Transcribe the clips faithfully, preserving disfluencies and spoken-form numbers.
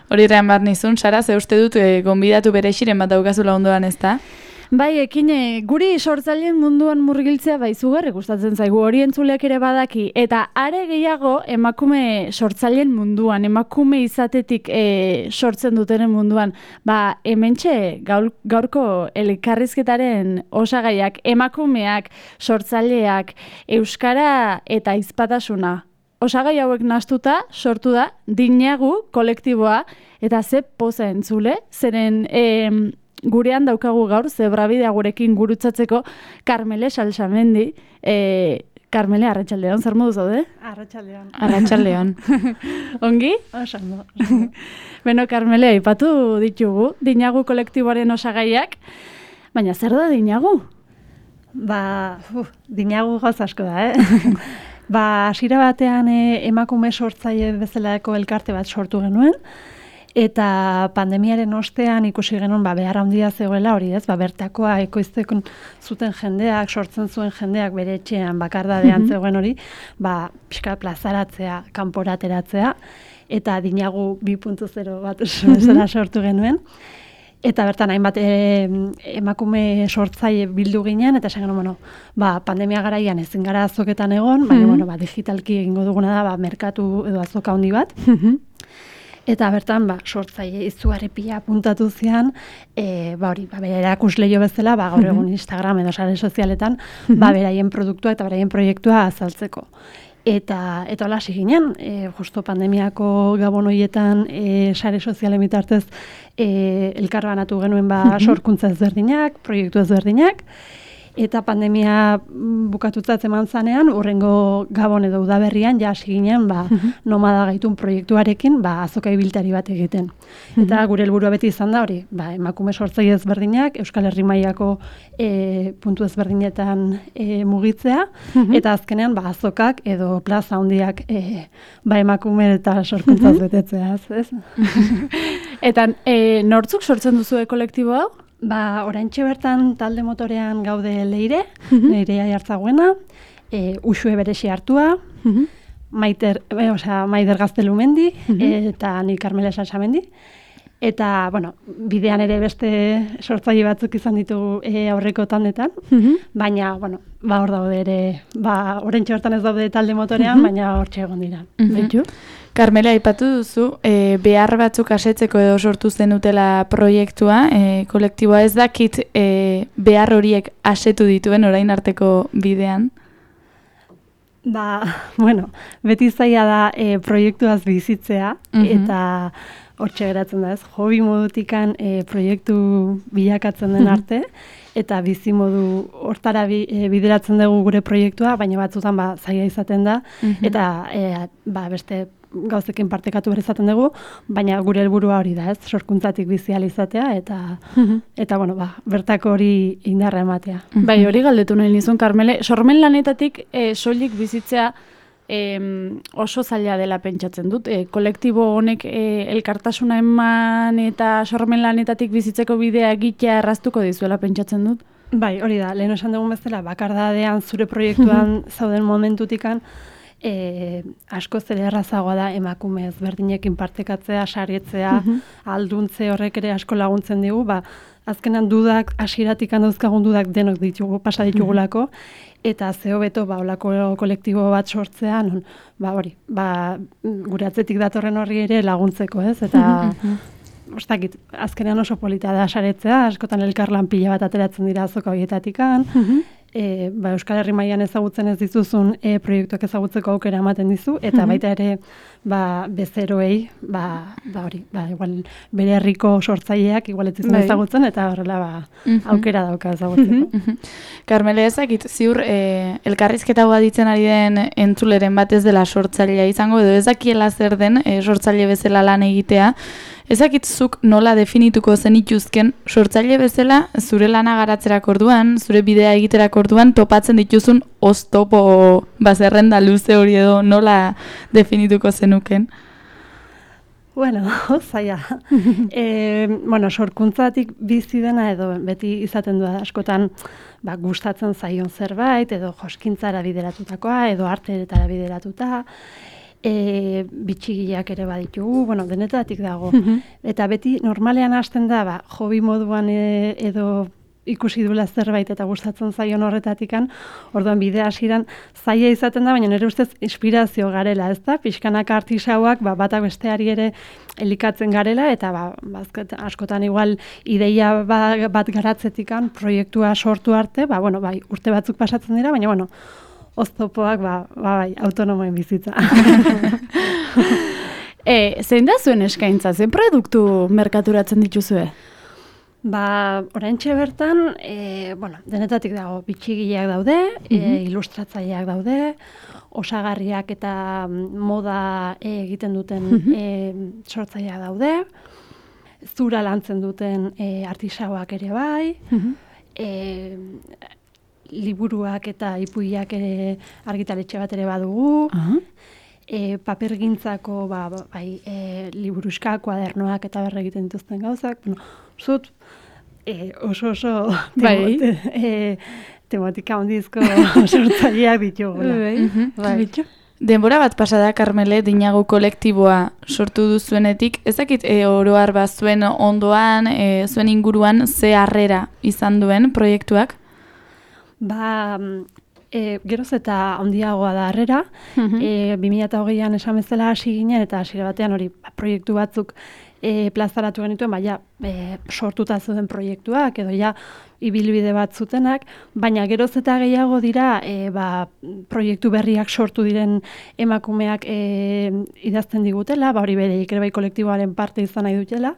Hori errean bat nizun, Sara, ze uste dut e, gonbidatu bere xiren bat daukazula ondoan ez da? Bai, ekine, guri sortzaileen munduan murgiltzea bai zugarri gustatzen zaigu, hori entzuleak ere badaki, eta are gehiago emakume sortzaileen munduan, emakume izatetik e, sortzen dutenen munduan, ba, hementxe gaur, gaurko elkarrizketaren osagaiak, emakumeak, sortzaileak, euskara eta hizpatasuna. Osagai hauek nahastuta sortu da Dinagu kolektiboa, eta ze poza entzule, zeren e, gurean daukagu gaur, zebrabidea gurekin gurutzatzeko, Karmele Salsamendi. E, Karmele, arratsaldeon, zer modu zaude? Arratsaldeon. Arratsaldeon. Ongi? Osando. Beno, Karmele, aipatu ditugu, Dinagu kolektiboaren osagaiak, baina zer da Dinagu? Ba, uf, Dinagu gauz asko da, eh? Ba, hasiera batean eh, emakume sortzaile bezalako elkarte bat sortu genuen, eta pandemiaren ostean ikusi genuen ba, behar handia zegoela hori ez, ba, bertakoa ekoizteko zuten jendeak, sortzen zuen jendeak bere etxean bakardadean mm-hmm. zegoen hori, ba, pixka plazaratzea, kanporateratzea, eta Dinagu bi puntu zero bat mm-hmm. sortu genuen. Eta bertan hainbat e, emakume sortzaile bildu ginen, eta esan genuen, bueno, ba, pandemia garaian ezin gara azoketan egon, baina mm-hmm. bueno, ba, digitalki egingo duguna da ba, merkatu edo azoka handi bat. Mm-hmm. Eta bertan, ba, sortzaile izugarripila puntatu zian, e, ba, hori, ba, bere erakusleio bezala, ba, gaur egun Instagram edo sare sozialetan, mm-hmm. ba, beraien produktua eta beraien proiektua azaltzeko. Eta eta hola hasi ginen, e, justo pandemiako gabon horietan e, sare sozialen bitartez e, elkarbanatu genuen ba, sorkuntza ezberdinak, proiektu ezberdinak, eta pandemia bukatutzat eman zanean, urrengo gabon edo udaberrian ja hasi ginen ba, nomada gaitun proiektuarekin ba, azoka ibiltari bat egiten. Eta gure helburua beti izan da hori, ba, emakume sortzaile ezberdinak, Euskal Herri mailako e, puntu ezberdinetan e, mugitzea, eta azkenean ba, azokak edo plaza handiak e, ba, emakume eta sorkuntzaz betetzea. Ez? Eta e, nortzuk sortzen duzu kolektibo hau? Ba, oraintxe bertan talde motorean gaude Leire, mm-hmm. Leirea jartzagoena, e, Uxue Beresi hartua, mm-hmm. Maiter, e, osea, Maider Gaztelumendi, mm-hmm. eta ni Karmele Salsamendi. Eta, bueno, bidean ere beste sortzaile batzuk izan ditugu e, aurreko tandetan, mm-hmm. baina, bueno, ba, hor daude ere, ba, oraintxe bertan ez daude talde motorean, mm-hmm. baina hortxe egon dira. Mm-hmm. Karmela, aipatu duzu, e, behar batzuk asetzeko edo sortu zenutela proiektua, e, kolektiboa ez dakit e, behar horiek asetu dituen orain arteko bidean? Ba, bueno, beti zaila da e, proiektuaz bizitzea, mm-hmm. eta hortxe geratzen da ez, hobi modutikan e, proiektu bilakatzen den arte, eta bizi modu hortara bi, e, bideratzen dugu gure proiektua, baina batzutan ba, zaila izaten da, mm-hmm. eta e, ba, beste gauzekin partekatu behar izaten dugu, baina gure helburua hori da, ez, sorkuntzatik bizi ahal izatea, eta, mm-hmm. eta bueno, ba, bertako hori indarra ematea. Mm-hmm. Bai, hori galdetu nahi nizun, Karmele, sormen lanetatik e, soilik bizitzea e, oso zaila dela pentsatzen dut. E, kolektibo honek e, elkartasuna eman eta sormen lanetatik bizitzeko bidea egitea erraztuko dizuela pentsatzen dut? Bai, hori da, lehen esan dugun bezala, bakardadean zure proiektuan zauden momentutikan, E, asko zer errazagoa da emakume ezberdinekin partekatzea, sarietzea, mm-hmm. alduntze horrek ere asko laguntzen digu, ba, azkenan dudak, hasieratik dauzkagun dudak denok ditugu, pasa ditugulako, eta zeo beto, ba, olako kolektibo bat sortzea, non, ba, hori, ba, gure atzetik datorren horri ere laguntzeko, ez, eta, mm-hmm. ostakit, azkenean oso polita da saretzea, askotan elkarlan pila bat ateratzen dira azoka horietatikan, mm-hmm. E, ba, Euskal Herri mailan ezagutzen ez dituzun e, proiektuak ezagutzeko aukera ematen dizu, eta mm-hmm. baita ere ba, bezeroei, ba, ba hori, ba, igual bere herriko sortzaileak igual ez dizun ezagutzen, eta horrela ba, mm-hmm. aukera dauka ezagutzeko. Mm-hmm. Karmele, ezakit, ziur e, elkarrizketa hau aditzen ari den entzuleren bat ez dela sortzailea izango, edo ezakiela zer den e, sortzaile bezala lan egitea, ezakitzuk nola definituko zenituzken sortzaile bezala zure lana garatzerak orduan, zure bidea egiterak orduan topatzen dituzun oztopo bazerrenda luze hori edo nola definituko zenuken? Bueno, zaila. e, bueno, sorkuntzatik bizi dena edo beti izaten du askotan ba, gustatzen zaion zerbait edo joskintzara bideratutakoa edo arteetara bideratuta. e, bitxigiak ere baditugu, bueno, denetatik dago. Eta beti normalean hasten da, ba, hobi moduan e, edo ikusi duela zerbait eta gustatzen zaion horretatikan, orduan bidea hasieran zaila izaten da, baina nire ustez inspirazio garela, ez da? Pixkanaka artisauak, ba, batak besteari ere elikatzen garela, eta ba, bazket, askotan igual ideia ba, bat garatzetikan proiektua sortu arte, ba, bueno, bai, urte batzuk pasatzen dira, baina, bueno, oztopoak, ba, ba, bai, autonomoen bizitza. e, zein da zuen eskaintza, zein produktu merkaturatzen dituzue? Ba, oraintxe bertan, e, bueno, denetatik dago, bitxigileak daude, mm-hmm. e, ilustratzaileak daude, osagarriak eta moda e, egiten duten mm-hmm. e, sortzaileak daude, zura lantzen duten e, artisauak ere bai, mm-hmm. e, liburuak eta ipuiak ere argitaletxe bat ere badugu, uh-huh. e, papergintzako ba, bai, e, liburuska, kuadernoak eta berre egiten dituzten gauzak, bueno, zut, e, oso oso bai. temot, e, tematika ondizko sortzaileak ditugu. Bai. Bai. Denbora bat pasada, Karmele, Dinagu kolektiboa sortu duzuenetik, ezakit e, oroar bat zuen ondoan, e, zuen inguruan, ze harrera izan duen proiektuak? Ba, e, geroz eta handiagoa da harrera, uh-huh. e, bi mila hogeian esan bezala hasi ginen, eta hasiera batean hori ba, proiektu batzuk e, plazaratu genituen, baina e, sortuta zuen proiektuak, edo ja ibilbide bat zutenak, baina geroz eta gehiago dira e, ba, proiektu berriak sortu diren emakumeak e, idazten digutela, ba, hori bereik ere bai kolektiboaren parte izan nahi dutela,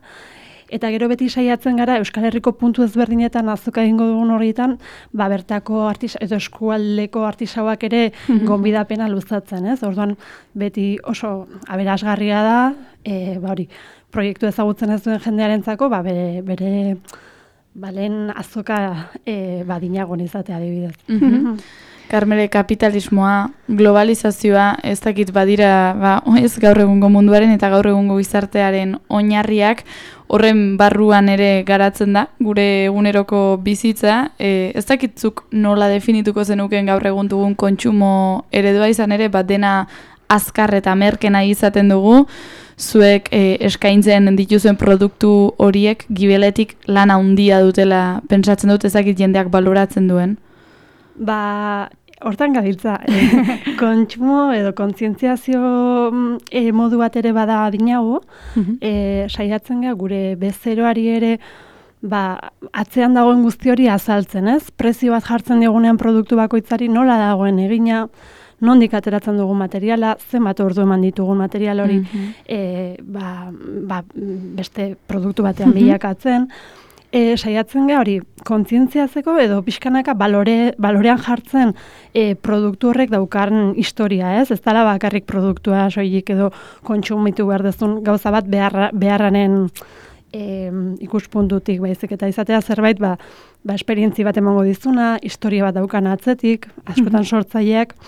eta gero beti saiatzen gara Euskal Herriko puntu ezberdinetan azoka egingo dugun horietan, ba bertako artisa edo eskualdeko artisauak ere gonbidapena luzatzen, ez? Orduan beti oso aberasgarria da, e, ba hori, proiektu ezagutzen ez duen jendearentzako, ba bere bere ba lehen azoka e, ba Dinagun izatea adibidez. Mm-hmm. Karmele, kapitalismoa, globalizazioa, ez dakit badira, ba, ez gaur egungo munduaren eta gaur egungo gizartearen oinarriak, horren barruan ere garatzen da, gure eguneroko bizitza, e, ez dakitzuk nola definituko zenuken gaur egun dugun kontsumo eredua izan ere, bat dena azkar eta merkena izaten dugu, zuek e, eskaintzen dituzuen produktu horiek gibeletik lan handia dutela pentsatzen dut, ez dakit jendeak baloratzen duen. Ba, hortan gabiltza, e, kontsumo edo kontzientziazio e, modu bat ere bada Dinagu, e, saiatzen ga gure bezeroari ere ba, atzean dagoen guzti hori azaltzen, ez? Prezio bat jartzen diogunean produktu bakoitzari nola dagoen egina, nondik ateratzen dugun materiala, zenbat ordu eman ditugun material hori mm-hmm. e, ba, ba, beste produktu batean mm-hmm. bilakatzen, E, saiatzen ga hori kontzientziatzeko edo pixkanaka balore, balorean jartzen e, produktu horrek daukarren historia, ez? Ez dela bakarrik produktua soilik edo kontsumitu behar dezun gauza bat beharra, beharranen e, ikuspuntutik baizik eta izatea zerbait ba, ba esperientzi bat emango dizuna, historia bat daukan atzetik, askotan sortzaileak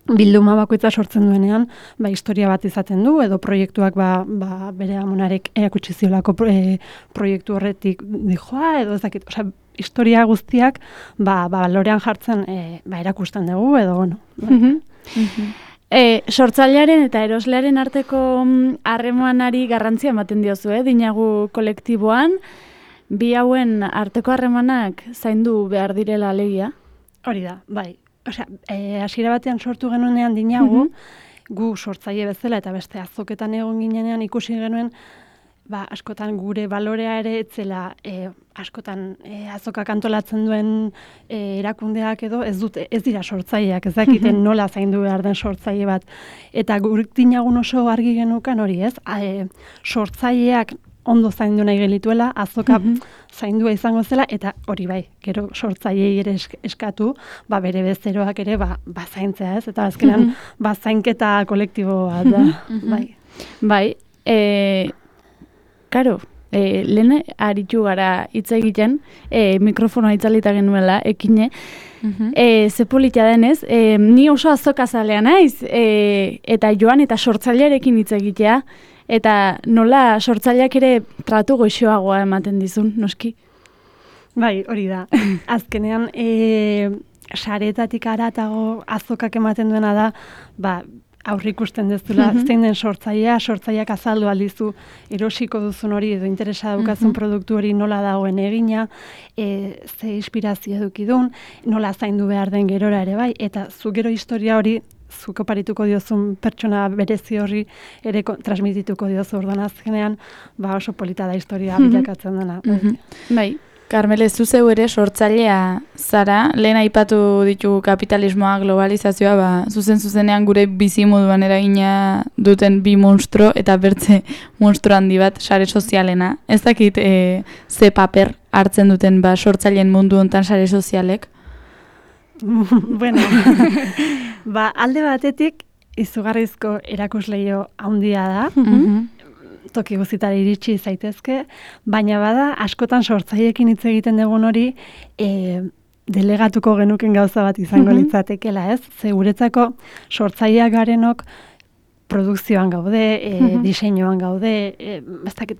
bilduma bakoitza sortzen duenean, ba, historia bat izaten du, edo proiektuak ba, ba, bere amonarek erakutsi ziolako pro, e, proiektu horretik dijoa, edo ezakit, osea, historia guztiak ba, ba, balorean jartzen e, ba, erakusten dugu, edo, bueno. Mm-hmm. Mm-hmm. E, sortzailearen eta eroslearen arteko harremanari garrantzia ematen diozu, eh? Dinagu kolektiboan, bi hauen arteko harremanak zaindu behar direla alegia? Hori da, bai. Osea, e, hasiera batean sortu genuenean Dinagu, mm-hmm. gu sortzaile bezala eta beste azoketan egon ginenean ikusi genuen, ba, askotan gure balorea ere etzela, e, askotan e, azokak antolatzen duen e, erakundeak edo ez dute, ez dira sortzaileak, ez dakiten mm-hmm. nola zaindu behar den sortzaile bat. Eta gure Dinagun oso argi genukan hori, ez? E, sortzaileak ondo zaindu nahi gelituela, azoka mm-hmm. zaindua izango zela, eta hori bai, gero sortzailei ere eskatu, ba bere bezeroak ere ba, ba zaintzea, ez? Eta azkenan mm-hmm. ba zainketa kolektibo bat da, mm-hmm. bai. Bai, e, karo, e, lehen aritu gara hitz egiten, e, mikrofonoa itzalita genuela, ekine, mm-hmm. e, ze politia denez, e, ni oso azokazalea naiz, e, eta joan eta sortzailearekin hitz egitea, eta nola sortzaileak ere tratu goxoagoa ematen dizun, noski? Bai, hori da. Azkenean, e, saretatik aratago azokak ematen duena da, ba, aurrikusten dezula, mm -hmm. zein den sortzailea, sortzaileak azaldu aldizu erosiko duzun hori edo interesa daukazun mm -hmm. produktu hori nola dagoen egina, e, ze inspirazio edukidun, nola zaindu behar den gerora ere bai, eta zu gero historia hori zuk oparituko diozun pertsona berezi horri ere transmitituko diozu orduan azkenean, ba oso polita da historia mm -hmm. bilakatzen dena. Mm -hmm. Bai. Carmele, zu zeu ere sortzailea zara, lehen aipatu ditu kapitalismoa, globalizazioa, ba, zuzen zuzenean gure bizimoduan eragina duten bi monstro eta bertze monstro handi bat sare sozialena. Ez dakit e, ze paper hartzen duten ba, sortzaileen mundu hontan sare sozialek? Bueno, ba, alde batetik izugarrizko erakusleio handia da, mm-hmm. toki guztitara iritsi zaitezke, baina bada askotan sortzaileekin hitz egiten dugun hori e, delegatuko genuken gauza bat izango mm-hmm. litzatekela, ez? Ze guretzako sortzaileak garenok produkzioan gaude, e, mm-hmm. diseinuan gaude, e,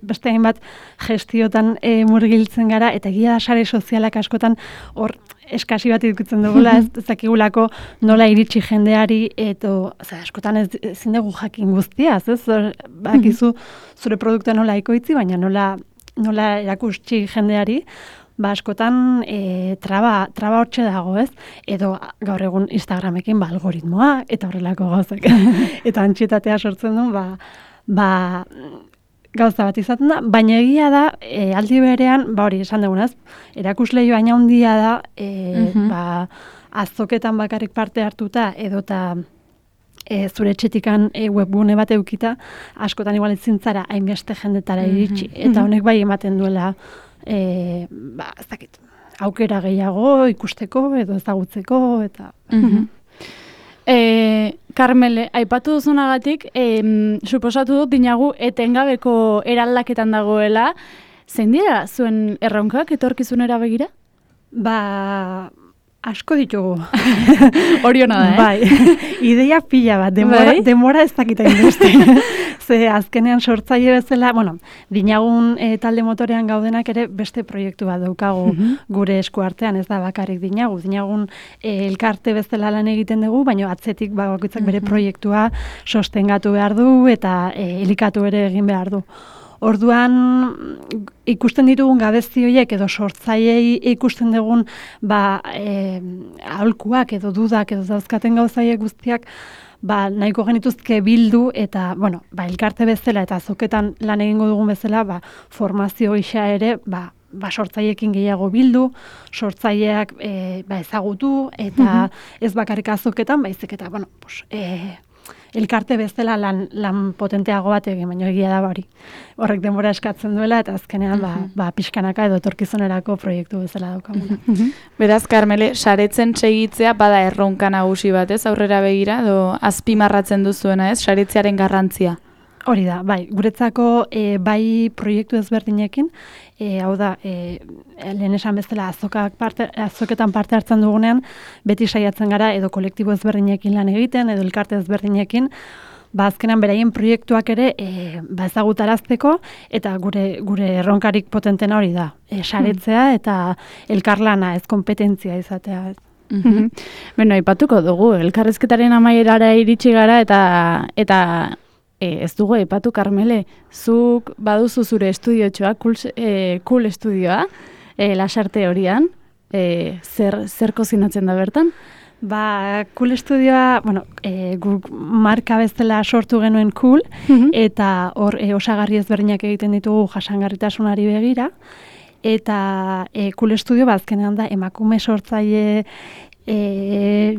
beste hainbat gestiotan e, murgiltzen gara, eta egia da sare sozialak askotan hor eskasi bat ikutzen dugula, ez ezakigulako nola iritsi jendeari, eto, oza, askotan ez ezin dugu jakin guztiaz, ez? Bakizu zure produktua nola ikoitzi, baina nola, nola erakustsi jendeari, ba askotan e, traba, traba hortxe dago, ez? Edo gaur egun Instagramekin ba, algoritmoa, eta horrelako gauzak. Eta antxietatea sortzen du, ba, ba gauza bat izaten da, baina egia da, e, aldi berean, ba hori esan dugunaz, erakusleio aina handia da, e, mm-hmm. ba, azoketan bakarrik parte hartuta, edota e, zure etxetikan e, webgune bat eukita, askotan igual ezintzara hainbeste jendetara iritsi, mm-hmm. eta honek bai ematen duela, e, ba, ez dakit, aukera gehiago ikusteko, edo ezagutzeko, eta... Mm-hmm. E, Carmele, aipatu duzunagatik, e, suposatu dut dinagu etengabeko eraldaketan dagoela, zein dira zuen erronkak etorkizunera begira? Ba, asko ditugu. Oriona da, eh? Bai, ideia pila bat, demora, bai? demora ez dakita induzte. Ze azkenean sortzaile bezala, bueno, dinagun e, talde motorean gaudenak ere beste proiektu bat daukagu mm-hmm. gure eskuartean, ez da bakarrik dinagu. Dinagun e, elkarte bezala lan egiten dugu, baina atzetik bakoitzak mm-hmm. bere proiektua sostengatu behar du eta e, elikatu ere egin behar du. Orduan ikusten ditugun gabezi horiek edo sortzailei ikusten dugun ba, e, aholkuak edo dudak edo dauzkaten gauzaiek guztiak ba, nahiko genituzke bildu eta bueno, ba, elkarte bezala eta azoketan lan egingo dugun bezala ba, formazio isa ere ba, ba, sortzaileekin gehiago bildu, sortzaileak e, ba, ezagutu eta mm-hmm. ez bakarrik azoketan, baizik eta bueno, pues, e, elkarte bezala lan, lan potenteago bat egin, baina egia da hori. Horrek denbora eskatzen duela eta azkenean ba, ba, pixkanaka edo etorkizunerako proiektu bezala daukagu. Beraz, Carmele, saretzen segitzea bada erronka nagusi bat, ez? Aurrera begira, edo azpimarratzen duzuena, ez? Saretzearen garrantzia. Hori da, bai, guretzako e, bai proiektu ezberdinekin, e, hau da, e, lehen esan bezala azokak parte, azoketan parte hartzen dugunean, beti saiatzen gara edo kolektibo ezberdinekin lan egiten, edo elkarte ezberdinekin, ba azkenan beraien proiektuak ere e, ba ezagutarazteko eta gure gure erronkarik potentena hori da, e, saretzea eta elkarlana, ez konpetentzia izatea. Mm-hmm. Beno, aipatuko dugu, elkarrizketaren amaierara iritsi gara eta eta E, ez dugu aipatu, Carmele, zuk baduzu zure estudiotxoa, cool, e, cool estudioa, e, lasarte horian, e, zer, zer kozinatzen da bertan? Ba, cool estudioa, bueno, e, guk marka bezala sortu genuen cool, mm-hmm. eta hor e, osagarri ezberdinak egiten ditugu jasangarritasunari begira, eta e, cool estudio bazkenean da emakume sortzaile E,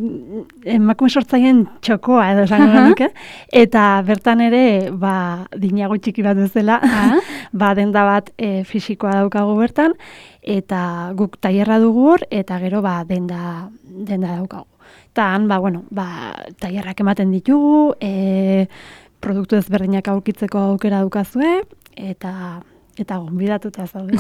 emakume sortzaileen txokoa edo esango genuke, eta bertan ere ba, dinago txiki bat bezala, ba, denda bat e, fisikoa daukagu bertan, eta guk tailerra dugu hor, eta gero ba, denda, denda daukagu. Eta han, ba, bueno, ba, tailerrak ematen ditugu, e, produktu ezberdinak aurkitzeko aukera daukazue, eta... Eta gonbidatuta zaude.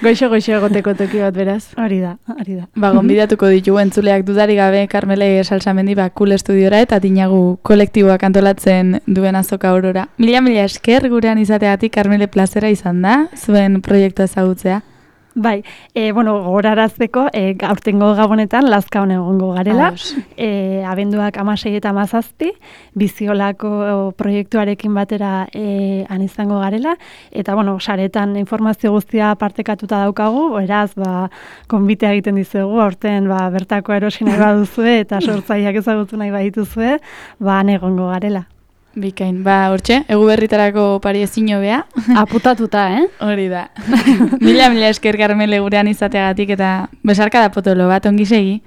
Goixo-goixo egoteko toki bat beraz. Hori da, hori da. Ba, gonbidatuko ditugu entzuleak dudari gabe, Carmele Salsamendi, ba, cool estudiora eta dinagu kolektiboak antolatzen duen azoka aurora. Mila, mila esker gurean izateagatik, Carmele, plazera izan da, zuen proiektua ezagutzea. Bai, e, bueno, gogorarazteko, e, aurtengo gabonetan lazkaon egongo garela, e, abenduak hamasei eta hamazazpi, biziolako proiektuarekin batera e, han izango garela, eta, bueno, saretan informazio guztia partekatuta daukagu, beraz, ba, konbitea egiten dizuegu, aurten, ba, bertako erosi nahi baduzue, eta sortzaileak ezagutu nahi badituzue, ba, han egongo garela. Bikain, ba, hortxe, egu berritarako pari ezin hobea. Aputatuta, eh? Hori da. Mila, mila esker Karmele gurean izateagatik eta besarka da potolo bat, ongi segi.